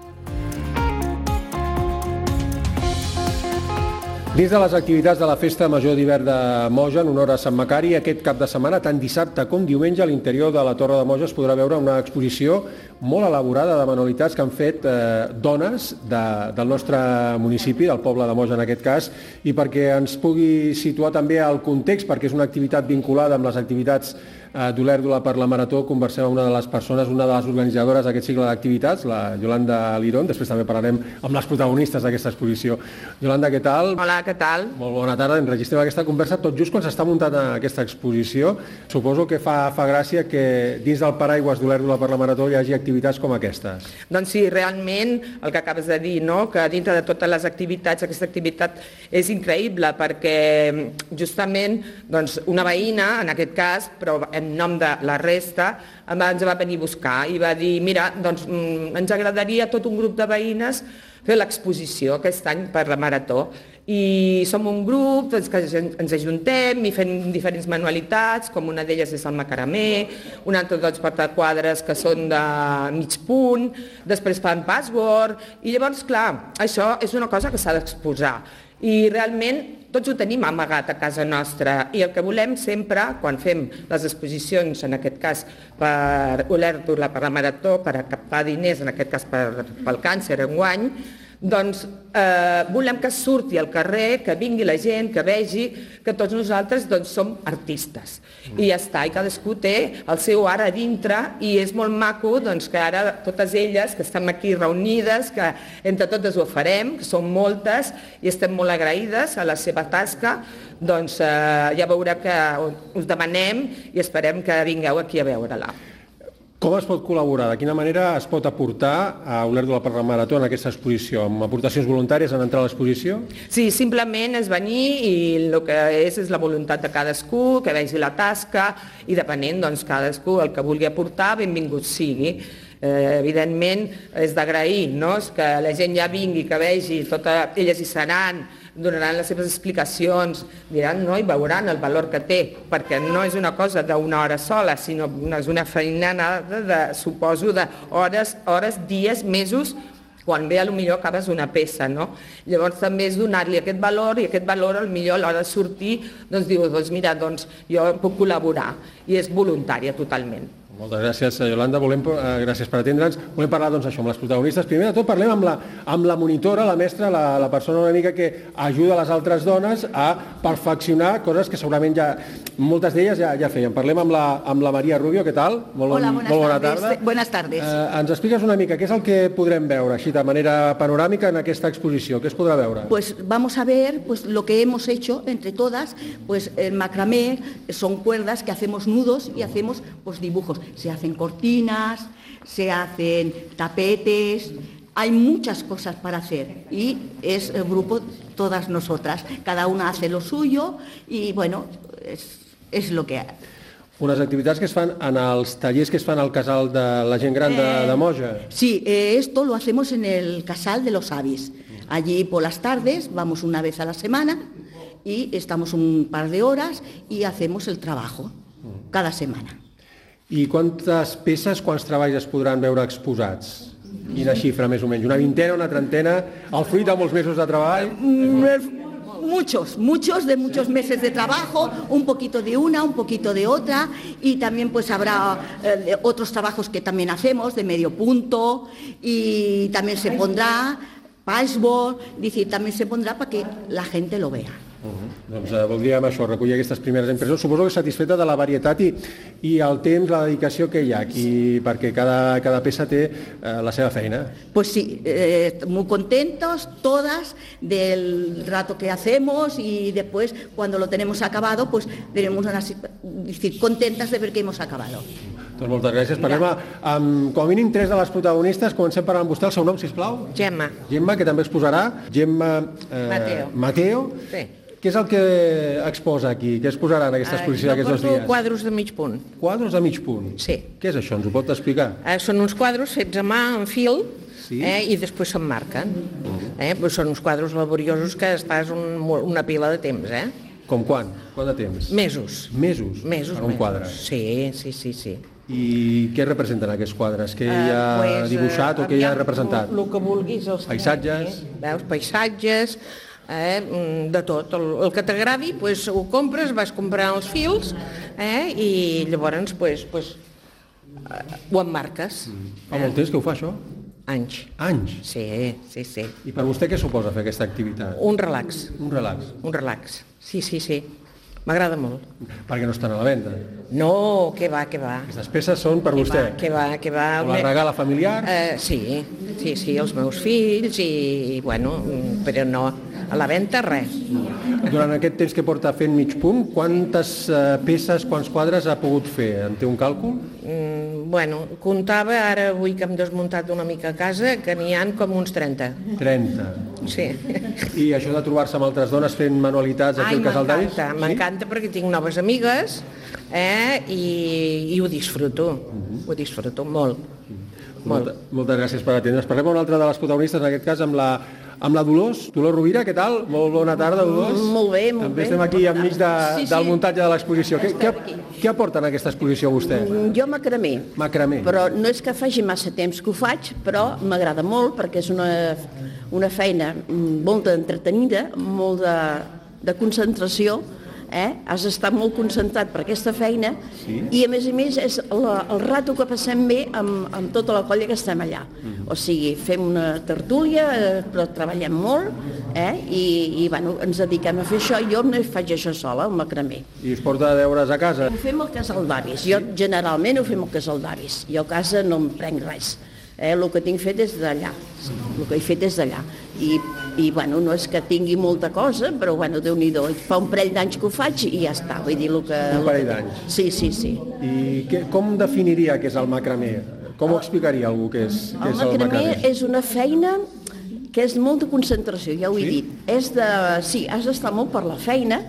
Dins de les activitats de la Festa Major d'Hivern de Moja, en honor a Sant Macari, aquest cap de setmana, tant dissabte com diumenge, a l'interior de la Torre de Moja es podrà veure una exposició molt elaborada de manualitats que han fet eh, dones de, del nostre municipi, del poble de Moja en aquest cas, i perquè ens pugui situar també al context, perquè és una activitat vinculada amb les activitats eh, d'Olèrdola per la Marató, conversem amb una de les persones, una de les organitzadores d'aquest cicle d'activitats, la Yolanda Lirón. Després també parlarem amb les protagonistes d'aquesta exposició. Yolanda, què tal? Hola, què tal? Molt bona tarda. Enregistrem aquesta conversa tot just quan s'està muntant aquesta exposició. Suposo que fa, fa gràcia que dins del paraigües d'Olèrdola per la Marató hi hagi activitats com aquestes. Doncs sí, realment, el que acabes de dir, no? Que dintre de totes les activitats, aquesta activitat és increïble perquè justament doncs, una veïna, en aquest cas, però en nom de la resta, ens va venir a buscar i va dir, mira, doncs ens agradaria tot un grup de veïnes fer l'exposició aquest any per la Marató. I som un grup doncs, que ens ajuntem i fem diferents manualitats, com una d'elles és el macaramé, un altre dels portaquadres que són de mig punt, després fan password, i llavors, clar, això és una cosa que s'ha d'exposar. I realment tots ho tenim amagat a casa nostra i el que volem sempre, quan fem les exposicions, en aquest cas per Olèrdola, per la Marató, per a captar diners, en aquest cas per, pel càncer enguany, doncs eh, volem que surti al carrer, que vingui la gent, que vegi que tots nosaltres doncs, som artistes. I ja està, i cadascú té el seu art a dintre i és molt maco doncs, que ara totes elles que estem aquí reunides, que entre totes ho farem, que són moltes i estem molt agraïdes a la seva tasca, doncs eh, ja veureu que us demanem i esperem que vingueu aquí a veure-la. Com es pot col·laborar? De quina manera es pot aportar a Olèrdola per la Marató en aquesta exposició? Amb aportacions voluntàries en entrar a l'exposició? Sí, simplement és venir i el que és és la voluntat de cadascú, que vegi la tasca i depenent, doncs, cadascú el que vulgui aportar, benvingut sigui. Eh, evidentment és d'agrair, no? Que la gent ja vingui, que vegi, totes elles hi seran, donaran les seves explicacions, diran, no, i veuran el valor que té, perquè no és una cosa d'una hora sola, sinó és una feinada, de, suposo, d'hores, hores, dies, mesos, quan ve potser acabes una peça, no? Llavors també és donar-li aquest valor i aquest valor potser a l'hora de sortir doncs diu, doncs mira, doncs jo puc col·laborar i és voluntària totalment. Moltes gràcies, Yolanda. Volem, eh, gràcies per atendre'ns. Volem parlar doncs, això amb les protagonistes. Primer de tot parlem amb la, amb la monitora, la mestra, la, la persona una mica que ajuda les altres dones a perfeccionar coses que segurament ja, moltes d'elles ja, ja feien. Parlem amb la, amb la Maria Rubio, què tal? Molt, Hola, buenas molt bona tardes. tarda. Buenas tardes. Eh, ens expliques una mica què és el que podrem veure, així de manera panoràmica en aquesta exposició? Què es podrà veure? Pues vamos a ver pues, lo que hemos hecho entre todas, pues el macramé son cuerdas que hacemos nudos y hacemos pues, dibujos. Se hacen cortinas, se hacen tapetes, hay muchas cosas para hacer y es el grupo todas nosotras, cada una hace lo suyo y bueno, es, es lo que hay. Unes activitats que es fan en els tallers que es fan al casal de la gent gran de, de Moja. Sí, eh, esto lo hacemos en el casal de los avis. Allí por las tardes vamos una vez a la semana y estamos un par de horas y hacemos el trabajo cada semana. I quantes peces, quants treballs es podran veure exposats? Quina xifra, més o menys? Una vintena, una trentena? El fruit de molts mesos de treball? Muchos, muchos, de muchos meses de trabajo, un poquito de una, un poquito de otra, y también pues habrá eh, otros trabajos que también hacemos, de medio punto, y también se pondrá patchwork, es decir, también se pondrá para que la gente lo vea. Uh-huh. Doncs eh, voldríem això, recollir aquestes primeres impressions. Suposo que satisfeta de la varietat i, i el temps, la dedicació que hi ha aquí, perquè cada, cada peça té eh, la seva feina. Pues sí, eh, muy contentos todas del rato que hacemos y después cuando lo tenemos acabado, pues tenemos una, decir, contentas de ver que hemos acabado. Doncs moltes gràcies. Parlem amb, com a mínim, tres de les protagonistes. Comencem parlant amb vostè. El seu nom, sisplau? Gemma. Gemma, que també exposarà. Gemma eh, Mateo. Mateo. Sí. Què és el que exposa aquí? Què exposarà en aquesta exposició uh, d'aquests dos dies? Quadros de mig punt. Quadros de mig punt? Sí. Què és això? Ens ho pot explicar? Uh, són uns quadros fets a mà, en fil, sí. eh, i després s'emmarquen. Uh-huh. eh, però són uns quadros laboriosos que estàs un, una pila de temps, eh? Com quan? Quant de temps? Mesos. Mesos? Mesos, per un mesos. quadre? Sí, sí, sí, sí. I què representen aquests quadres? Què hi ha uh, pues, dibuixat uh, o què hi ha representat? El que vulguis. Els paisatges? Aquí, veus, paisatges, eh, de tot. El, el que t'agradi, pues, ho compres, vas comprant els fils eh, i llavors pues, pues, uh, ho emmarques. Mm. Fa molt temps que ho fa, això? Anys. Anys? Sí, sí, sí. I per vostè què suposa fer aquesta activitat? Un relax. Un relax? Un relax, sí, sí, sí. M'agrada molt. Perquè no estan a la venda? No, que va, que va. Aquestes peces són per que vostè? Va, que va, que va. O la regala familiar? Uh, sí, sí, sí, els meus fills i, bueno, però no, a la venda res. Durant aquest temps que porta fent mig punt, quantes uh, peces, quants quadres ha pogut fer? En té un càlcul? Mm, bueno, comptava, ara avui que hem desmuntat una mica a casa, que n'hi han com uns trenta. trenta? Sí. I això de trobar-se amb altres dones fent manualitats aquí al Casal d'Avis? Ai, m'encanta, m'encanta perquè tinc noves amigues eh, i, i ho disfruto, uh-huh. ho disfruto molt. Uh-huh. Molta, moltes gràcies per atendre's. Parlem amb una altra de les protagonistes, en aquest cas amb la, amb la Dolors. Dolors Rovira, què tal? Molt bona tarda, Dolors. Molt bé, molt També bé. estem aquí enmig de, sí, sí. del muntatge de l'exposició. Què, què, què aporta en aquesta exposició vostè? Jo macramé. Macramé. Però no és que faci massa temps que ho faig, però m'agrada molt perquè és una, una feina molt entretenida, molt de, de concentració. Eh? Has d'estar molt concentrat per aquesta feina sí. I a més a més és la, el rato que passem bé amb, amb tota la colla que estem allà. Mm-hmm. O sigui, fem una tertúlia, eh, però treballem molt eh? I, i bueno, ens dediquem a fer això. Jo no faig això sola, el macramé. I es porta deures a casa? Ho fem al casal d'avis. Jo generalment ho fem al casal d'avis. Jo a casa no em prenc res. Eh, el que tinc fet és d'allà, el que he fet és d'allà. I, i bueno, no és que tingui molta cosa, però bueno, Déu-n'hi-do, fa un parell d'anys que ho faig i ja està. Vull dir, el que, un parell d'anys? Sí, sí, sí. I que, com definiria què és el macramé? Com ho explicaria algú què és, què el és el macramé? El macramé és una feina que és molta concentració, ja ho he sí? dit. És de, sí, has d'estar molt per la feina.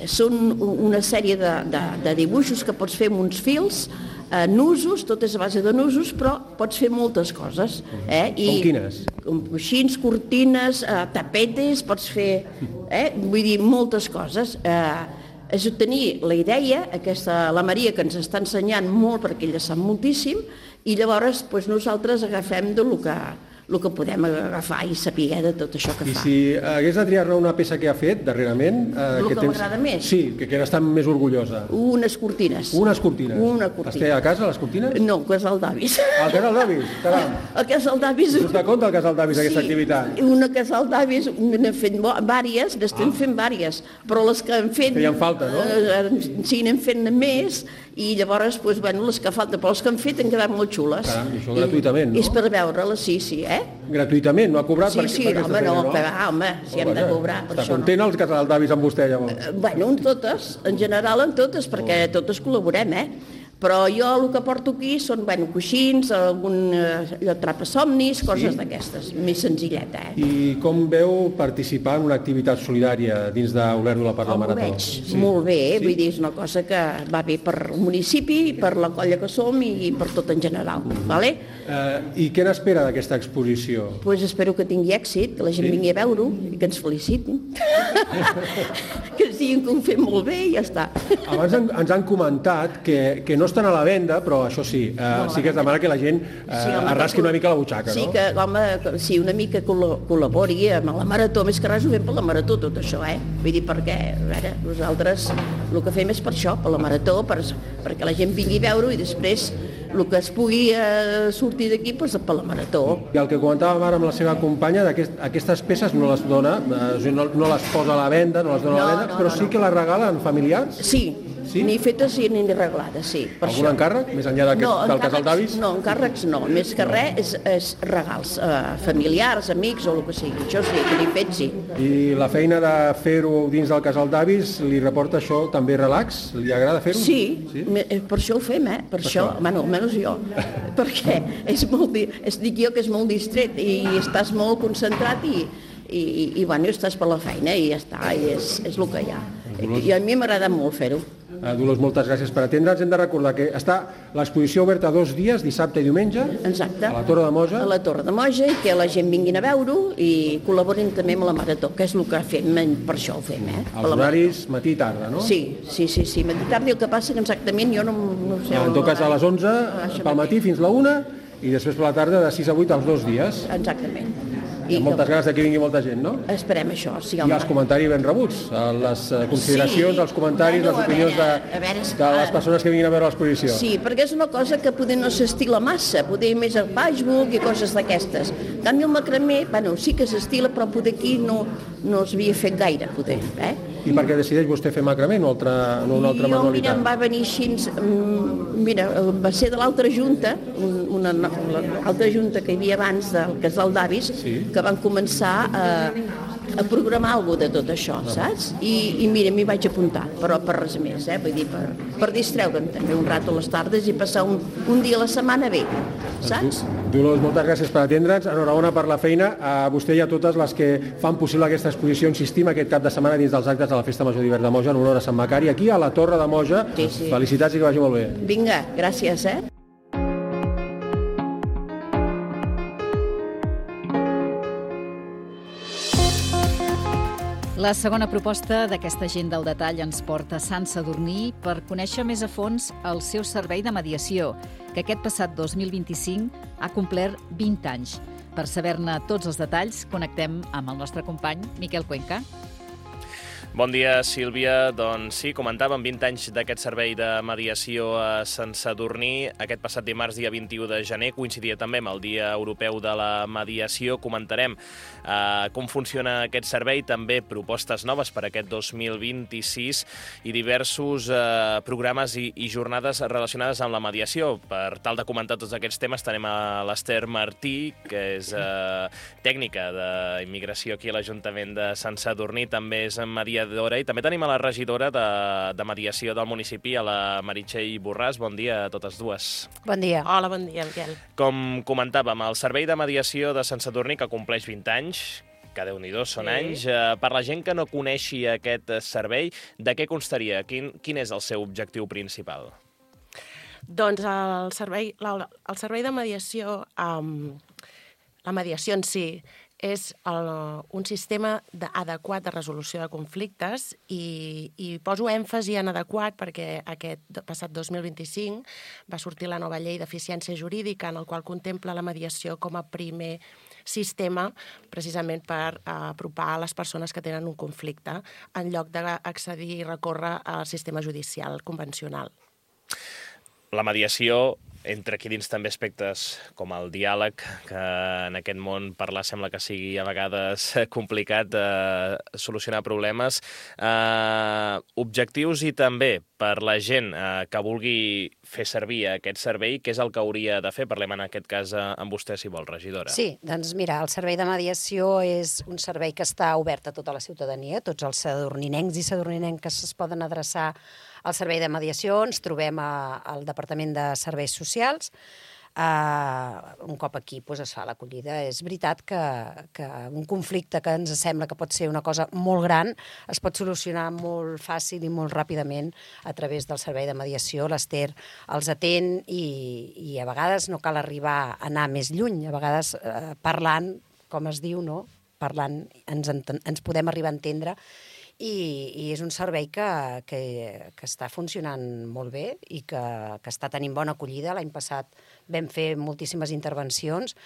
Són una sèrie de, de, de dibuixos que pots fer amb uns fils, eh, nusos, tot és a base de nusos, però pots fer moltes coses. Eh? I, com quines? Com coixins, cortines, eh, tapetes, pots fer, eh? vull dir, moltes coses. Eh, és tenir la idea, aquesta, la Maria que ens està ensenyant molt perquè ella sap moltíssim, i llavors doncs, nosaltres agafem de lo que, el que podem agafar i saber de tot això que I fa. si hagués de triar-ne una peça que ha fet darrerament... Eh, El que temps... m'agrada més? Sí, que, que n'està més orgullosa. Unes cortines. Unes cortines. Una cortina. Les té a casa, les cortines? No, al casal d'avis. Al casal d'avis? Caram. Al casal d'avis... Us de compte al casal d'avis sí, aquesta activitat? Una casal d'avis, n'hem fet vàries, n'estem ah. fent vàries, però les que hem fet... Feien falta, no? Eh, sí, n'hem fet més, i llavors, doncs, bueno, les que falten, però les que han fet han quedat molt xules. Caram, i això gratuïtament, no? És per veure-les, sí, sí, eh? Gratuïtament, no ha cobrat sí, per, sí, per aquesta home, feina, no? no? Que va, home, si hem de cobrar per Està això. content no? el casal d'avis amb vostè, llavors? Eh, bueno, en totes, en general en totes, perquè totes col·laborem, eh? Però jo el que porto aquí són, bueno, coixins, algun allò, trapasomnis, coses d'aquestes, més senzilleta, eh? I com veu participar en una activitat solidària dins d'Olèrdola per la Marató? Ho veig sí. molt bé, sí? Vull dir, és una cosa que va bé per el municipi, per la colla que som i per tot en general, vale? Uh, I què n'espera d'aquesta exposició? Doncs pues espero que tingui èxit, que la gent sí? vingui a veure-ho i que ens felicitin. Que ens diguin que ho fem molt bé i ja està. Abans en, ens han comentat que, que no estan a la venda, però això sí, eh, no, sí que es demana que la gent eh, sí, home, arrasqui una mica la butxaca, sí, no? Sí, que, home, sí, una mica col·labori amb la Marató, més que res ho fem per la Marató, tot això, eh? Vull dir, perquè, a veure, nosaltres el que fem és per això, per la Marató, per, perquè la gent vingui a veure-ho i després el que es pugui eh, sortir d'aquí doncs, per la Marató. I el que comentàvem ara amb la seva companya, aquest, aquestes peces no les dona, eh, no, no les posa a la venda, no les dona no, a la venda, no, però no, sí no. que les regalen familiars? Sí, sí? ni fetes ni reglades, sí. Per Algun això. encàrrec, més enllà d'aquest, no, del casal d'avis? No, encàrrecs no, més que res és, és regals, eh, familiars, amics o el que sigui, això sí, que ni fet sí. I la feina de fer-ho dins del casal d'avis, li reporta això també relax? Li agrada fer-ho? Sí, sí, per això ho fem, eh? Per, per això, això. Bueno, almenys jo, perquè és molt, és, dic jo que és molt distret i estàs molt concentrat i, i, i bueno, estàs per la feina i ja està, i és, és el que hi ha. I a mi m'agrada molt fer-ho. Dolors, moltes gràcies per atendre'ns. Hem de recordar que està l'exposició oberta dos dies, dissabte i diumenge, exacte, a la Torre de Moja. A la Torre de Moja, i que la gent vinguin a veure-ho i col·laborin també amb la Marató, que és el que fem, per això ho fem. Eh? Els horaris matí i tarda, no? Sí, sí, sí, sí, matí i tarda, i el que passa que exactament jo no, no sé... En tot cas a les onze, pel matí fins la una, i després per la tarda de sis a vuit els dos dies. Exactament. I amb moltes ganes que vingui molta gent, no? Esperem això, sí, home. I els comentaris ben rebuts, les consideracions, sí. els comentaris, bueno, les opinions veure, de, veure, de les persones que vinguin a veure l'exposició. Sí, perquè és una cosa que poder no s'estila massa, poder més al Facebook i coses d'aquestes. En canvi el macramé, bueno, sí que s'estila, però poder aquí no, no s'havia fet gaire, poder, eh? I per què decideix vostè fer macramé, no, altra, no una altra jo, manualitat? Mira, em va venir així, mira, va ser de l'altra junta, una, l'altra junta que hi havia abans del casal d'avis, sí. que van començar a, a programar alguna de tot això, no. saps? I, i mira, m'hi vaig apuntar, però per res més, eh? Vull dir, per, per distreure'm també un rato a les tardes i passar un, un dia a la setmana bé, saps? Dolors, moltes gràcies per atendre'ns, enhorabona per la feina, a vostè i a totes les que fan possible aquesta exposició, insistim, aquest cap de setmana dins dels actes de la Festa Major d'Hivern de Moja en honor a Sant Macari, aquí a la Torre de Moja. Sí, sí. Felicitats i que vagi molt bé. Vinga, gràcies, eh? La segona proposta d'aquesta agenda al detall ens porta a Sant Sadurní per conèixer més a fons el seu servei de mediació, que aquest passat dos mil vint-i-cinc ha complert vint anys. Per saber-ne tots els detalls, connectem amb el nostre company Miquel Cuenca. Bon dia, Sílvia. Doncs sí, comentàvem vint anys d'aquest servei de mediació a Sant Sadurní. Aquest passat dimarts, dia vint-i-u de gener, coincidia també amb el Dia Europeu de la Mediació. Comentarem eh, com funciona aquest servei, també propostes noves per aquest dos mil vint-i-sis i diversos eh, programes i, i jornades relacionades amb la mediació. Per tal de comentar tots aquests temes, tenim a l'Ester Martí, que és eh, tècnica d'immigració aquí a l'Ajuntament de Sant Sadurní, també és mediadora. I també tenim a la regidora de, de mediació del municipi, a la Meritxell Borràs. Bon dia a totes dues. Bon dia. Hola, bon dia, Miquel. Com comentàvem, el servei de mediació de Sant Sadurní, que compleix vint anys, que Déu-n'hi-do, són sí. anys. Eh, per la gent que no coneixi aquest servei, de què constaria? Quin, quin és el seu objectiu principal? Doncs el servei, el, el servei de mediació, um, la mediació en si, és el, un sistema de, adequat de resolució de conflictes i, i poso èmfasi en adequat perquè aquest passat dos mil vint-i-cinc va sortir la nova llei d'eficiència jurídica en el qual contempla la mediació com a primer sistema precisament per apropar a les persones que tenen un conflicte en lloc d'accedir i recórrer al sistema judicial convencional. La mediació Entra aquí dins també aspectes com el diàleg, que en aquest món parlar sembla que sigui a vegades complicat eh, solucionar problemes. Eh, objectius i també per la gent eh, que vulgui fer servir aquest servei, què és el que hauria de fer? Parlem en aquest cas eh, amb vostè, si vol, regidora. Sí, doncs mira, el servei de mediació és un servei que està obert a tota la ciutadania, tots els sadurninencs i sadurninenques es poden adreçar al servei de mediació. Ens trobem a, al Departament de Serveis Socials. Uh, un cop aquí doncs, es fa l'acollida. És veritat que, que un conflicte que ens sembla que pot ser una cosa molt gran es pot solucionar molt fàcil i molt ràpidament a través del servei de mediació. L'Ester els atén i, i a vegades no cal arribar a anar més lluny. A vegades uh, parlant, com es diu, no? Parlant ens, ens podem arribar a entendre. I, i és un servei que, que, que està funcionant molt bé i que, que està tenint bona acollida. L'any passat vam fer moltíssimes intervencions,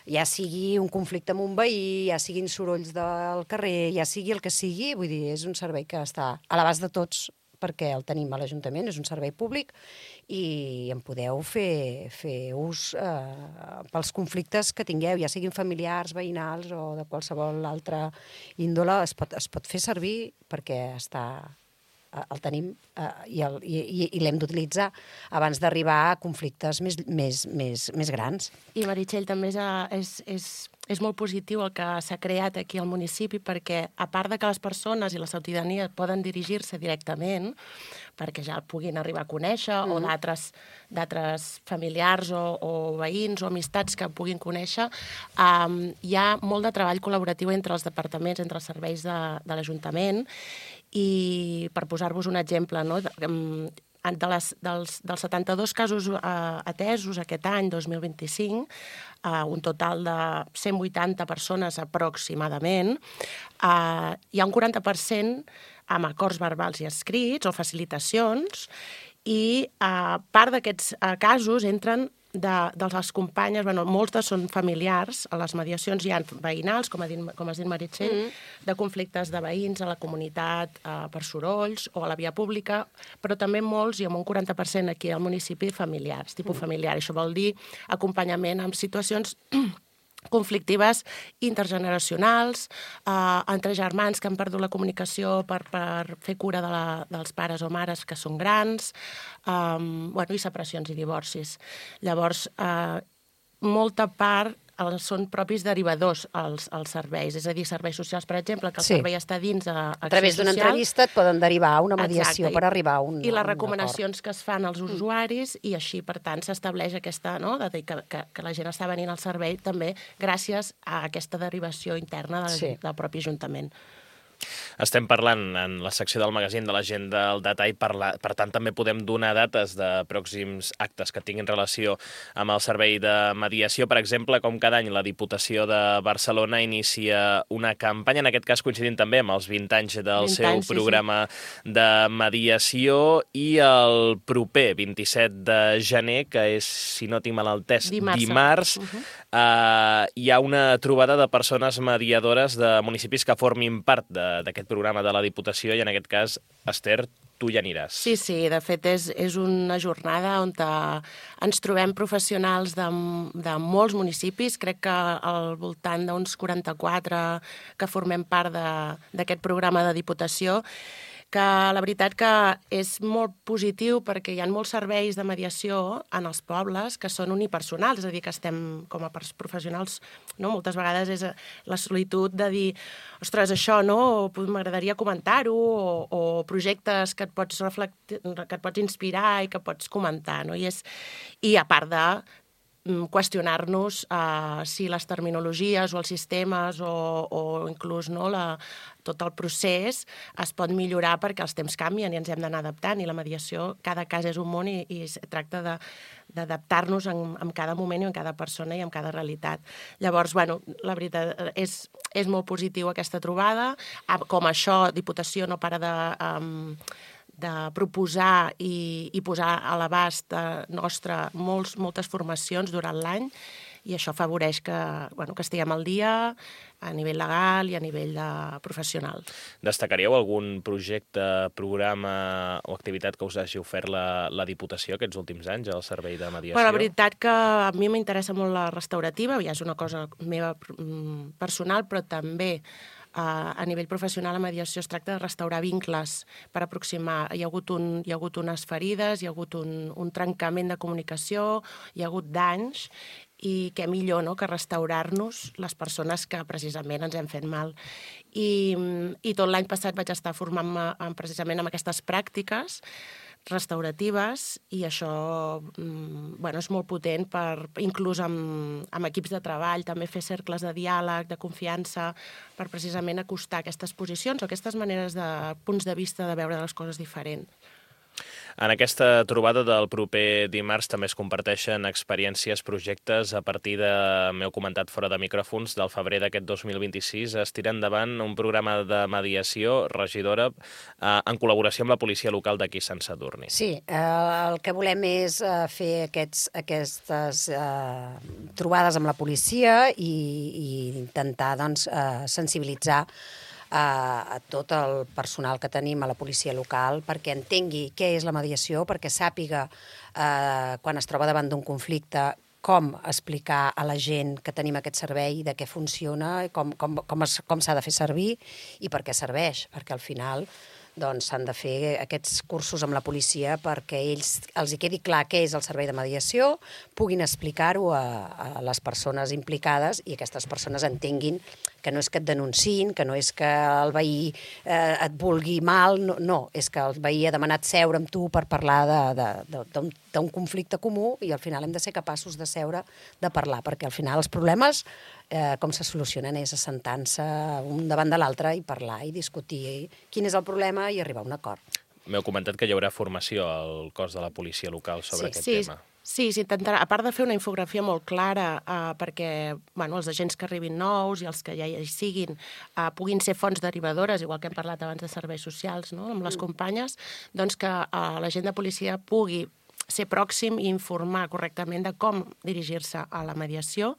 ja sigui un conflicte amb un veí, ja siguin sorolls del carrer, ja sigui el que sigui, vull dir, és un servei que està a l'abast de tots perquè el tenim a l'Ajuntament, és un servei públic i en podeu fer, fer ús eh, pels conflictes que tingueu, ja siguin familiars, veïnals o de qualsevol altra índole, es pot, es pot fer servir perquè està, el tenim eh, i, el, i, i l'hem d'utilitzar abans d'arribar a conflictes més, més, més, més grans. I Meritxell, també és, és, és, és molt positiu el que s'ha creat aquí al municipi perquè, a part de que les persones i la ciutadania poden dirigir-se directament, perquè ja el puguin arribar a conèixer, mm. o d'altres d'altres familiars o, o veïns o amistats que puguin conèixer, um, hi ha molt de treball col·laboratiu entre els departaments, entre els serveis de, de l'Ajuntament, i per posar-vos un exemple, no? de, de les, dels, dels setanta-dos casos uh, atesos aquest any, dos mil vint-i-cinc, uh, un total de cent vuitanta persones aproximadament, uh, hi ha un quaranta per cent amb acords verbals i escrits o facilitacions, i uh, part d'aquests uh, casos entren de, de les companyes, bueno, moltes són familiars, a les mediacions hi ha veïnals, com ha dit, com has dit Meritxell, mm. de conflictes de veïns a la comunitat eh, per sorolls o a la via pública, però també molts, i amb un quaranta per cent aquí al municipi, familiars, tipus mm. familiar. Això vol dir acompanyament en situacions conflictives intergeneracionals, eh, entre germans que han perdut la comunicació per, per fer cura de la, dels pares o mares que són grans, eh, bueno, i separacions i divorcis. Llavors, eh, molta part els, són propis derivadors als, als serveis, és a dir, serveis socials, per exemple, que el sí. servei està dins a, a, a través d'una entrevista et poden derivar a una mediació. Exacte. Per arribar a un I les recomanacions que es fan als usuaris, i així, per tant, s'estableix aquesta, no?, de dir que, que, que la gent està venint al servei també gràcies a aquesta derivació interna del, sí. del propi Ajuntament. Estem parlant en la secció del magazín de la gent del detall, per, la, per tant també podem donar dates de pròxims actes que tinguin relació amb el servei de mediació. Per exemple, com cada any la Diputació de Barcelona inicia una campanya, en aquest cas coincidint també amb els vint anys del vint seu anys, programa sí, sí. de mediació, i el proper vint-i-set de gener, que és, si no tinc mal entès, dimarts, dimarts uh-huh. eh, hi ha una trobada de persones mediadores de municipis que formin part de d'aquest programa de la Diputació, i en aquest cas, Ester, tu hi aniràs. Sí, sí, de fet és, és una jornada on ens trobem professionals de, de molts municipis, crec que al voltant d'uns quaranta-quatre que formem part d'aquest programa de Diputació, que la veritat que és molt positiu perquè hi ha molts serveis de mediació en els pobles que són unipersonals, és a dir, que estem com a professionals, no? Moltes vegades és la solitud de dir, ostres, això, no? M'agradaria comentar-ho, o, o projectes que et pots reflectir, que et pots inspirar i que pots comentar, no? I, és, i a part de qüestionar-nos uh, si les terminologies o els sistemes o, o inclús no, la, tot el procés es pot millorar perquè els temps canvien i ens hem d'anar adaptant, i la mediació, cada cas és un món i, i es tracta de, d'adaptar-nos en, en cada moment i en cada persona i en cada realitat. Llavors, bueno, la veritat és, és molt positiu aquesta trobada. Com això, Diputació no para de... Um, de proposar i, i posar a l'abast nostre molts, moltes formacions durant l'any, i això afavoreix que, bueno, que estiguem al dia a nivell legal i a nivell de professional. Destacaríeu algun projecte, programa o activitat que us hagi ofert la, la Diputació aquests últims anys al servei de mediació? Bueno, la veritat que a mi m'interessa molt la restaurativa, ja és una cosa meva personal, però també a nivell professional la mediació es tracta de restaurar vincles per aproximar. Hi ha hagut, un, hi ha hagut unes ferides, hi ha hagut un, un trencament de comunicació, hi ha hagut danys, i què millor, no?, que restaurar-nos les persones que precisament ens hem fet mal. I, i tot l'any passat vaig estar formant-me precisament amb aquestes pràctiques restauratives i això bueno, és molt potent, per, inclús amb, amb equips de treball, també fer cercles de diàleg, de confiança, per precisament acostar aquestes posicions o aquestes maneres de punts de vista de veure les coses diferents. En aquesta trobada del proper dimarts també es comparteixen experiències, projectes. A partir de, m'heu comentat fora de micròfons, del febrer d'aquest dos mil vint-i-sis es tira endavant un programa de mediació, regidora, eh, en col·laboració amb la policia local d'aquí Sant Sadurní. Sí, eh, el que volem és eh, fer aquests, aquestes eh, trobades amb la policia i, i intentar doncs, eh, sensibilitzar a tot el personal que tenim a la policia local perquè entengui què és la mediació, perquè sàpiga eh, quan es troba davant d'un conflicte com explicar a la gent que tenim aquest servei, de què funciona, com, com, com, es, com s'ha de fer servir i per què serveix, perquè al final doncs s'han de fer aquests cursos amb la policia perquè ells els hi quedi clar què és el servei de mediació, puguin explicar-ho a, a les persones implicades i aquestes persones entenguin que no és que et denunciïn, que no és que el veí eh, et vulgui mal, no, no, és que el veí ha demanat seure amb tu per parlar d'un conflicte comú i al final hem de ser capaços de seure, de parlar, perquè al final els problemes eh, com se solucionen és assentant-se un davant de l'altre i parlar i discutir quin és el problema i arribar a un acord. M'heu comentat que hi haurà formació al cos de la policia local sobre sí, aquest sí, tema. Sí, s'intentarà, a part de fer una infografia molt clara eh, perquè bueno, els agents que arribin nous i els que ja hi siguin eh, puguin ser fonts derivadores, igual que hem parlat abans de serveis socials, no?, amb les companyes, doncs que eh, l'agent de policia pugui ser pròxim i informar correctament de com dirigir-se a la mediació,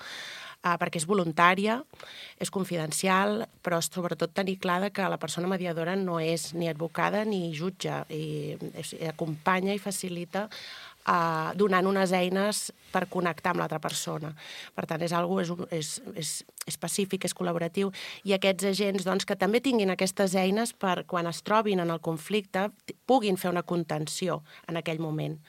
eh, perquè és voluntària, és confidencial, però sobretot tenir clar que la persona mediadora no és ni advocada ni jutge, i, i acompanya i facilita Uh, donant unes eines per connectar amb l'altra persona. Per tant, és algo, és, és, és, és pacífic, és col·laboratiu, i aquests agents doncs, que també tinguin aquestes eines per, quan es trobin en el conflicte, puguin fer una contenció en aquell moment.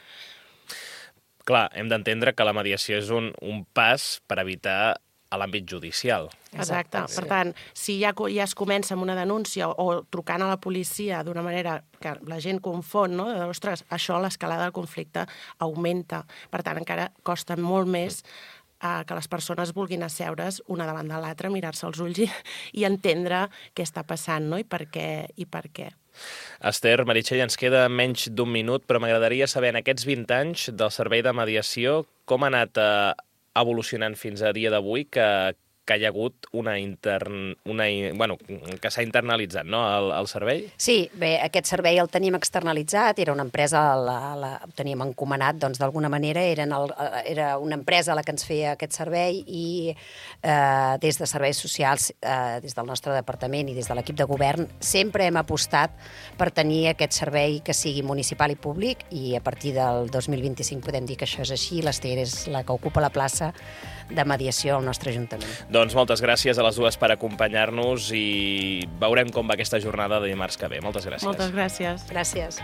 Clar, hem d'entendre que la mediació és un, un pas per evitar a l'àmbit judicial. Exacte. Per tant, si ja, ja es comença amb una denúncia o trucant a la policia d'una manera que la gent confon, no?, de, ostres, això, l'escalada del conflicte augmenta. Per tant, encara costa molt més eh, que les persones vulguin asseure's una davant de l'altra, mirar-se als ulls i, i entendre què està passant, no?, i per què. I per què. Esther, Meritxell, ens queda menys d'un minut, però m'agradaria saber, en aquests vint anys del servei de mediació, com ha anat eh, evolucionant fins a dia d'avui que, que hi ha hagut una intern... Una, bueno, que s'ha internalitzat, no?, el, el servei? Sí, bé, aquest servei el tenim externalitzat, era una empresa, la, la, el teníem encomanat, doncs d'alguna manera eren el, era una empresa la que ens feia aquest servei i eh, des de serveis socials, eh, des del nostre departament i des de l'equip de govern, sempre hem apostat per tenir aquest servei que sigui municipal i públic i a partir del dos mil vint-i-cinc podem dir que això és així, l'Esther és la que ocupa la plaça de mediació al nostre Ajuntament. Doncs moltes gràcies a les dues per acompanyar-nos i veurem com va aquesta jornada de dimarts que ve. Moltes gràcies. Moltes gràcies. Gràcies.